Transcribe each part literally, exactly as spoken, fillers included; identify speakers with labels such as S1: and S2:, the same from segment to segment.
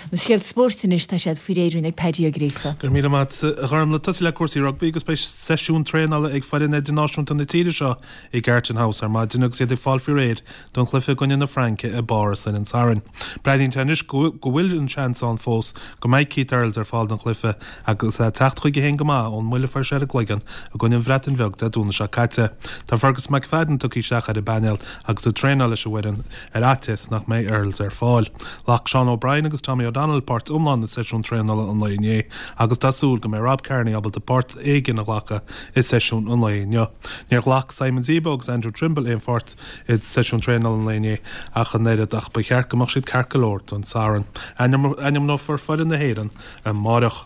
S1: Na scéalta spóirt anois tá siad faoi réir ag Paddy Ó Gríofa.
S2: Gur míle maith a Ghormfhlaith tosú le cúrsaí rugbaí agus beidh seisiún traenála ag foireann idirnáisiúnta na tíre seo i gCarton House ar maidin agus iad ag fáil faoi réir don chluiche i gcoinne na Fraince i bPáras ar an Satharn. Breathnaíonn sé anois go bhfuil an seans ann fós go mbeidh Keith Earls ar fáil don chluiche agus é ag teacht chuige féin go maith ón mbuille a fuair sé ar an gcloigeann i gcoinne an Bhreatain Bheag Dé Domhnaigh seo caite. Tá Fergus McFadden tugtha isteach ar an bpainéal agus ag traenáil leis an bhfoireann ar fhaitíos nach mbeidh Earls ar fáil. Ghlac Sean O'Brien agus Tommy O'Donnell páirt iomlán i seisiún traenála an lae inné agus tá súil go mbeidh Rob Kearney ábalta páirt éigin a ghlacadh i seisiún an lae inniu. Níor ghlac Simon Zebo agus Andrew Trimble aon pháirt i seisiún traenála an lae inné ach an oiread ach ba cheart go mbeadh siad ceart go leor don Satharn. Ainmneofar foireann na hÉireann amárach.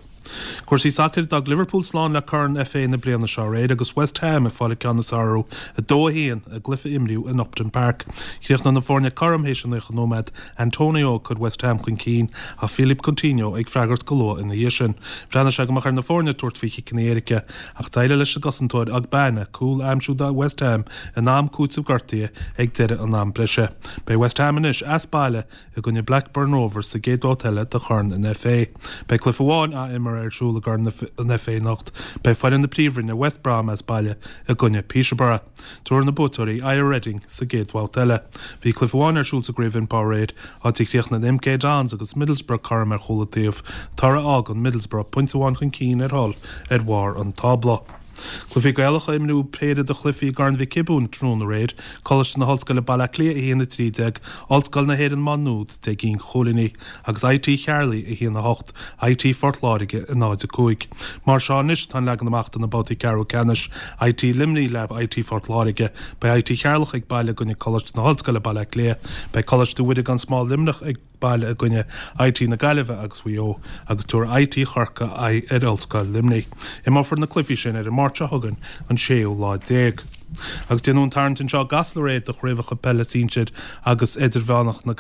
S2: Cúrsaí sacair d'fhág Liverpool slán le Corn FA na bliana seo aréir agus West Ham ag fáil an ceann is fearr orthu a dó a haon i gcluiche a imríodh in Upton Park. Chríochnaigh na foirne cothrom théis an naocha nóiméad, Antonio ag cur West Ham chun cinn ach Philippe Coutinho ag freagairt go luath ina dhiaidh sin. Bhreathnaigh sé go mbeadh ar na foirne tabhairt faoi chiceanna éirice ach d'éirigh leis an gcosantóir Ogbene cúl a aimsiú do West Ham in am cúitimh gortaithe ag deireadh an am breise. Beidh West Ham anois as baile i gcoinne Blackburn Rovers sa gcéad bhabhta eile de Chorn an FA. Beidh cluiche amháin á imirt ar siúl i gCorn an FA anocht. Beidh foireann na Príomhroinne West Brom as baile i gcoinne Peterborough. Tabharfaidh na buaiteoirí aghaidh ar Reading sa gcéad bhabhta eile. Bhí cluiche amháin ar siúl sa gCraobh Impower aréir, áit a chríochnaigh MK Dons agus Middlesbrough cothrom ar chúl an taobh, toradh a fhágann Middlesbrough pointe amháin chun cinn ar Hull ar bharr an tábla. Cluichí Gaelacha Imríodh péire de chluichí i gCorn Mhic Giobúin tráthnóna aréir, Coláiste na hOllscoile Baile Átha Cliath a haon a trí déag, Ollscoil na hÉireann Má Nuad deich gcinn de chúilíní, agus IT Chearlaigh a haon a hocht, IT Phort Láirge a náid a cúig. Mar seo anois atá an leagan amach do na babhtaí ceathrú ceannais, IT Luimnigh le IT Phort Láirge, beidh IT Cheatharlach ag baile i gcoinne Coláiste na hOllscoile Baile Átha Cliath, beidh Coláiste Mhuire gan Smál Luimneach ag baile i gcoinne IT na Gaillimhe agus Mhaigh Eo agus tabharfaidh IT Chorcaí aghaidh ar Ollscoil Luimnigh. Imreofar na cluichí sin ar an Máirt seo chugainn, an séú lá déag. Agus déanadh an tarraingt anseo i gCasla aréir do chraobhacha peile sinsir agus idirmheánach na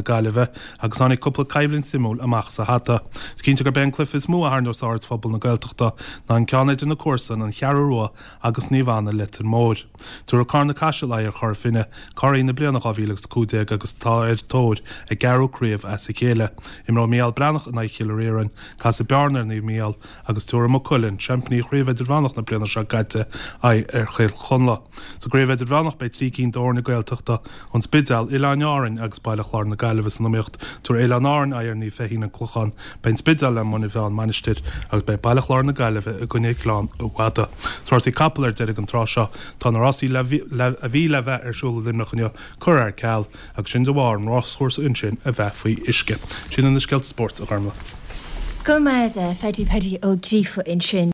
S2: Gaillimhe agus tháinig cúpla coimhlint suimiúil amach as a hata. Is cinnte gurb é an cluiche is mó a tharraingeos aird phobal na Gaeltachta ná an ceann idir na comharsana, An Cheathrú Rua agus Naomh Anna Leitir Móir. Tabharfaidh Carna Caiseal aghaidh ar Chora Finne, curaidh na bliana dhá mhíle agus a cúig déag agus atá ar tóir a gceathrú craobh as a chéile. Imreoidh Mícheál Breathnach in aghaidh Chill Rímhinn, casfaidh Bearna ar Naomh Mícheál agus tabharfaidh Maigh Cuilinn, seaimpíní Chraobh Idirmheánach na bliana seo caite, aghaidh ar Chill Chonla. Sa gcraobh Idirmheánach beidh trí cinn d'fhoirne Gaeltachta, An Spidéal, Oileáin Árainn agus Baile Chláir na Gaillimhe san iomaíocht. Tabharfaidh Oileáin Árainn aghaidh ar Naomh Feichín An Clochán, beidh An Spidéal le Muine Mheá An Mhainistir agus beidh Baile Chláir na Gaillimhe i gcoinne Ghleann an Fhada. Sna rásaí capall ar deireadh an tráth seo, tá na rásaí a bhí le bheith ar siúl i Luimneach inniu curtha ar ceal agus sin de bharr an ráschúrsa ansin a bheith faoi uisce. Sin iad na scéalta spóirt, a Ghormfhlaith.
S1: Go raibh maith agat, a Phaddy, Paddy Ó Gríofa ansin.